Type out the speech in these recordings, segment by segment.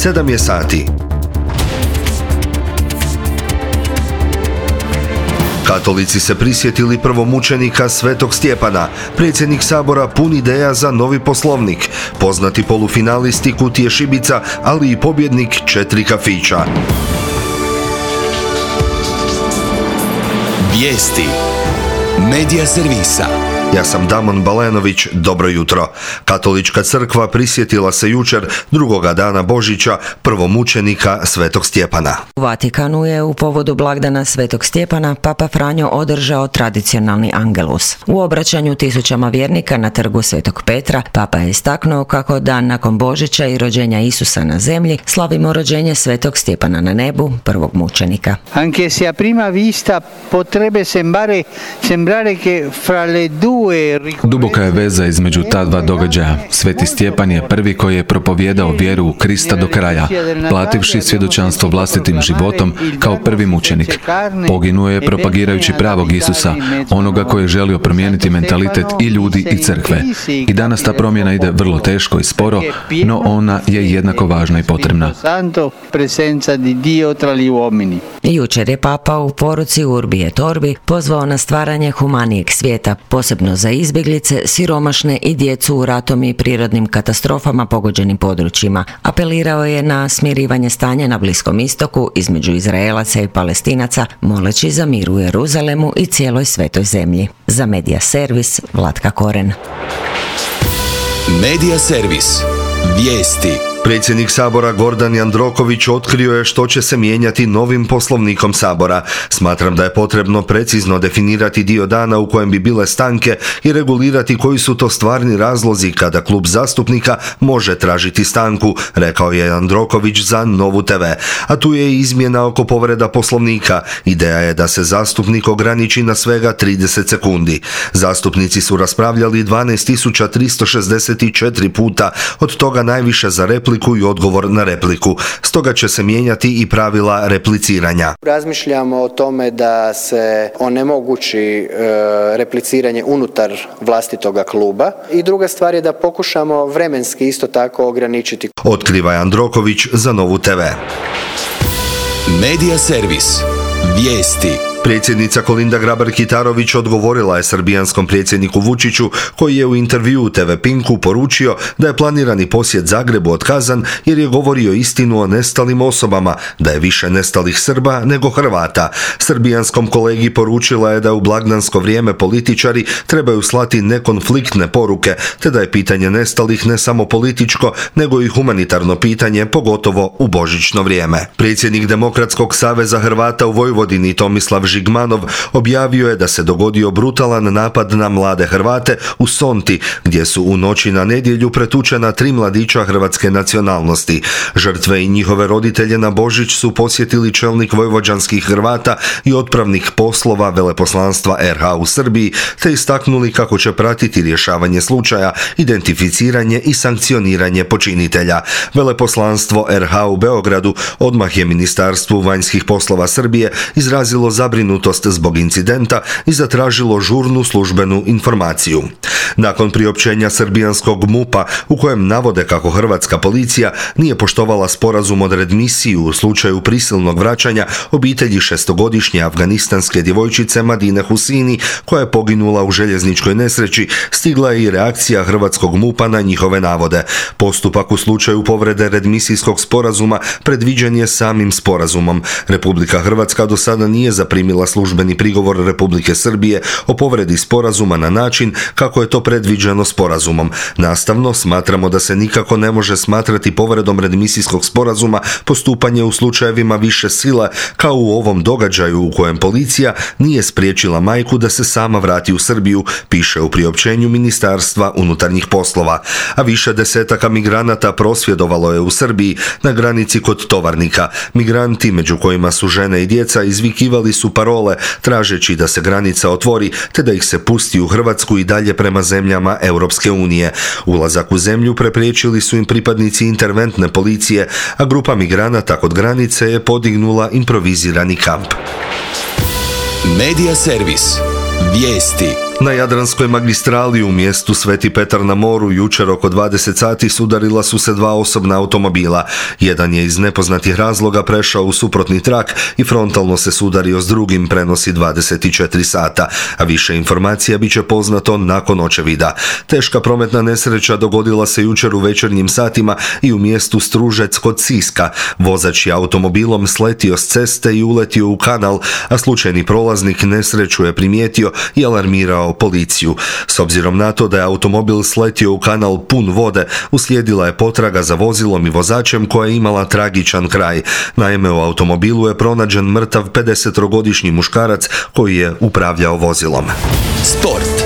7 je sati. Katolici se prisjetili prvomučenika Svetog Stjepana. Predsjednik Sabora pun ideja za novi poslovnik. Poznati polufinalisti Kutije šibica, ali i pobjednik 4 kafića. Vijesti Medija servisa. Ja sam Damon Balenović, dobro jutro. Katolička crkva prisjetila se jučer, drugoga dana Božića, prvomučenika Svetog Stjepana. U Vatikanu je u povodu blagdana Svetog Stjepana Papa Franjo održao tradicionalni Angelus. U obraćanju tisućama vjernika na trgu Svetog Petra, Papa je istaknuo kako dan nakon Božića i rođenja Isusa na zemlji slavimo rođenje Svetog Stjepana na nebu, prvog mučenika. Anche se a prima vista potrebbe sembrare che fra le due. Duboka je veza između ta dva događaja. Sveti Stjepan je prvi koji je propovijedao vjeru u Krista do kraja, plativši svjedočanstvo vlastitim životom kao prvi mučenik. Poginuo je propagirajući pravog Isusa, onoga koji je želio promijeniti mentalitet i ljudi i crkve. I danas ta promjena ide vrlo teško i sporo, no ona je jednako važna i potrebna. Jučer je Papa u poruci Urbi et Orbi pozvao na stvaranje humanijeg svijeta, posebno za izbjeglice, siromašne i djecu u ratom i prirodnim katastrofama pogođenim područjima. Apelirao je na smirivanje stanja na Bliskom istoku između Izraelaca i Palestinaca, moleći za mir u Jeruzalemu i cijeloj svetoj zemlji. Za Medija servis, Vlatka Koren. Medija servis. Vijesti. Predsjednik Sabora Gordan Jandroković otkrio je što će se mijenjati novim poslovnikom Sabora. Smatram da je potrebno precizno definirati dio dana u kojem bi bile stanke i regulirati koji su to stvarni razlozi kada klub zastupnika može tražiti stanku, rekao je Jandroković za Novu TV. A tu je i izmjena oko povreda poslovnika. Ideja je da se zastupnik ograniči na svega 30 sekundi. Zastupnici su raspravljali 12.364 puta, od toga najviše za repliku i odgovor na repliku. Stoga će se mijenjati i pravila repliciranja. Razmišljamo o tome da se onemogući repliciranje unutar vlastitoga kluba i druga stvar je da pokušamo vremenski isto tako ograničiti. Otkriva Jandroković za Novu TV. Medija servis. Vijesti. Predsjednica Kolinda Grabar-Kitarović odgovorila je srbijanskom predsjedniku Vučiću, koji je u intervjuu TV Pinku poručio da je planirani posjet Zagrebu otkazan jer je govorio istinu o nestalim osobama, da je više nestalih Srba nego Hrvata. Srbijanskom kolegi poručila je da u blagdansko vrijeme političari trebaju slati nekonfliktne poruke, te da je pitanje nestalih ne samo političko, nego i humanitarno pitanje, pogotovo u božićno vrijeme. Predsjednik Demokratskog saveza Hrvata u Vojvodini Tomislav Žigmanov objavio je da se dogodio brutalan napad na mlade Hrvate u Sonti, gdje su u noći na nedjelju pretučena 3 mladića hrvatske nacionalnosti. Žrtve i njihove roditelje na Božić su posjetili čelnik vojvođanskih Hrvata i otpravnik poslova veleposlanstva RH u Srbiji, te istaknuli kako će pratiti rješavanje slučaja, identificiranje i sankcioniranje počinitelja. Veleposlanstvo RH u Beogradu odmah je Ministarstvu vanjskih poslova Srbije izrazilo zabrinutost zbog incidenta i zatražilo žurnu službenu informaciju. Nakon priopćenja srbijanskog MUP-a u kojem navode kako hrvatska policija nije poštovala sporazum o readmisiji u slučaju prisilnog vraćanja obitelji 6-godišnje afganistanske djevojčice Madine Husini, koja je poginula u željezničkoj nesreći, stigla je i reakcija hrvatskog MUP-a na njihove navode. Postupak u slučaju povrede readmisijskog sporazuma predviđen je samim sporazumom. Republika Hrvatska do sada nije zaprimila službeni prigovor Republike Srbije o povredi sporazuma na način kako je to predviđeno sporazumom. Nastavno, smatramo da se nikako ne može smatrati povredom readmisijskog sporazuma postupanje u slučajevima više sile, kao u ovom događaju u kojem policija nije spriječila majku da se sama vrati u Srbiju, piše u priopćenju Ministarstva unutarnjih poslova. A više desetaka migranata prosvjedovalo je u Srbiji na granici kod Tovarnika. Migranti, među kojima su žene i djeca, izvikivali su parole tražeći da se granica otvori te da ih se pusti u Hrvatsku i dalje prema zemljama Europske unije. Ulazak u zemlju prepriječili su im pripadnici interventne policije, a grupa migranata kod granice je podignula improvizirani kamp. Medija servis. Vijesti. Na Jadranskoj magistrali u mjestu Sveti Petar na moru jučer oko 20 sati sudarila su se dva osobna automobila. Jedan je iz nepoznatih razloga prešao u suprotni trak i frontalno se sudario s drugim, prenosi 24 sata, a više informacija bit će poznato nakon očevida. Teška prometna nesreća dogodila se jučer u večernjim satima i u mjestu Stružec kod Siska. Vozač je automobilom sletio s ceste i uletio u kanal, a slučajni prolaznik nesreću je primijetio i alarmirao policiju. S obzirom na to da je automobil sletio u kanal pun vode, uslijedila je potraga za vozilom i vozačem koja je imala tragičan kraj. Naime, u automobilu je pronađen mrtav 50-godišnji muškarac koji je upravljao vozilom. Sport.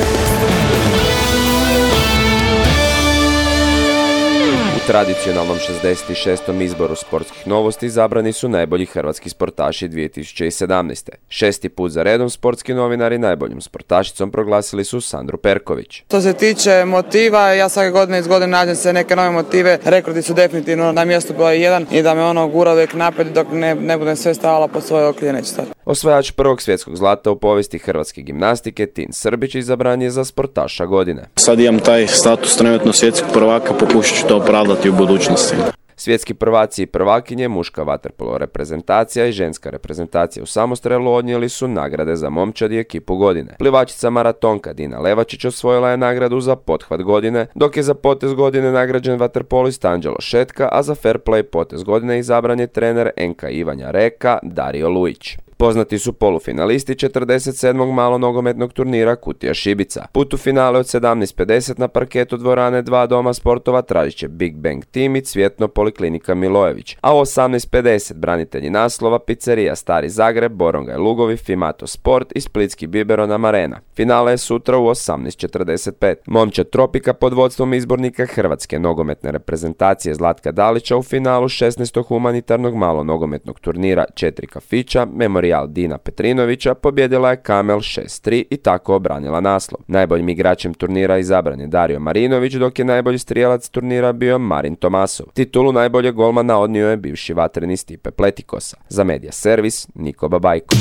U tradicionalnom 66. izboru sportskih novosti izabrani su najbolji hrvatski sportaši 2017. 6. put za redom sportski novinari najboljom sportašicom proglasili su Sandru Perković. Što se tiče motiva, ja svake godine iz godine nađem se neke nove motive. Rekordi su definitivno na mjestu broj 1 i da me gura uvijek naprijed dok ne budem sve stavila pod svoje okrilje, neće stati. Osvajač prvog svjetskog zlata u povijesti hrvatske gimnastike Tin Srbić izabran je za sportaša godine. Sad imam taj status trenutno svjetskog prvaka, pokušat ću to opravdati u budućnosti. Svjetski prvaci i prvakinje, muška vaterpolo reprezentacija i ženska reprezentacija u samostrelu odnijeli su nagrade za momčad i ekipu godine. Plivačica maratonka Dina Levačić osvojila je nagradu za pothvat godine, dok je za potez godine nagrađen vaterpolist Anđelo Šetka, a za fair play potez godine izabran je trener NK Ivanja Reka Dario Lujić. Poznati su polufinalisti 47. malonogometnog turnira Kutija Šibica. Put u finale od 17:50 na parketu dvorane 2 Doma sportova tražit će Big Bang Team i Cvjetno Poliklinika Milojević, a u 18:50 branitelji naslova Pizzerija Stari Zagreb, Borongaj Lugovi, Fimato Sport i Splitski Biberon Arena. Finale je sutra u 18:45. Momčad Tropika pod vodstvom izbornika hrvatske nogometne reprezentacije Zlatka Dalića u finalu 16. humanitarnog malonogometnog turnira 4 kafića Memorial Dina Petrinovića pobjedila je Kamel 6-3 i tako obranila naslov. Najboljim igračem turnira izabran je Dario Marinović, dok je najbolji strijelac turnira bio Marin Tomasov. Titulu najboljeg golmana odnio je bivši vatreni Stipe Pletikosa. Za Medija Servis, Niko Babajko.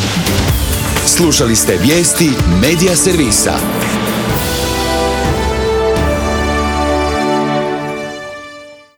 Slušali ste vijesti Medija Servisa.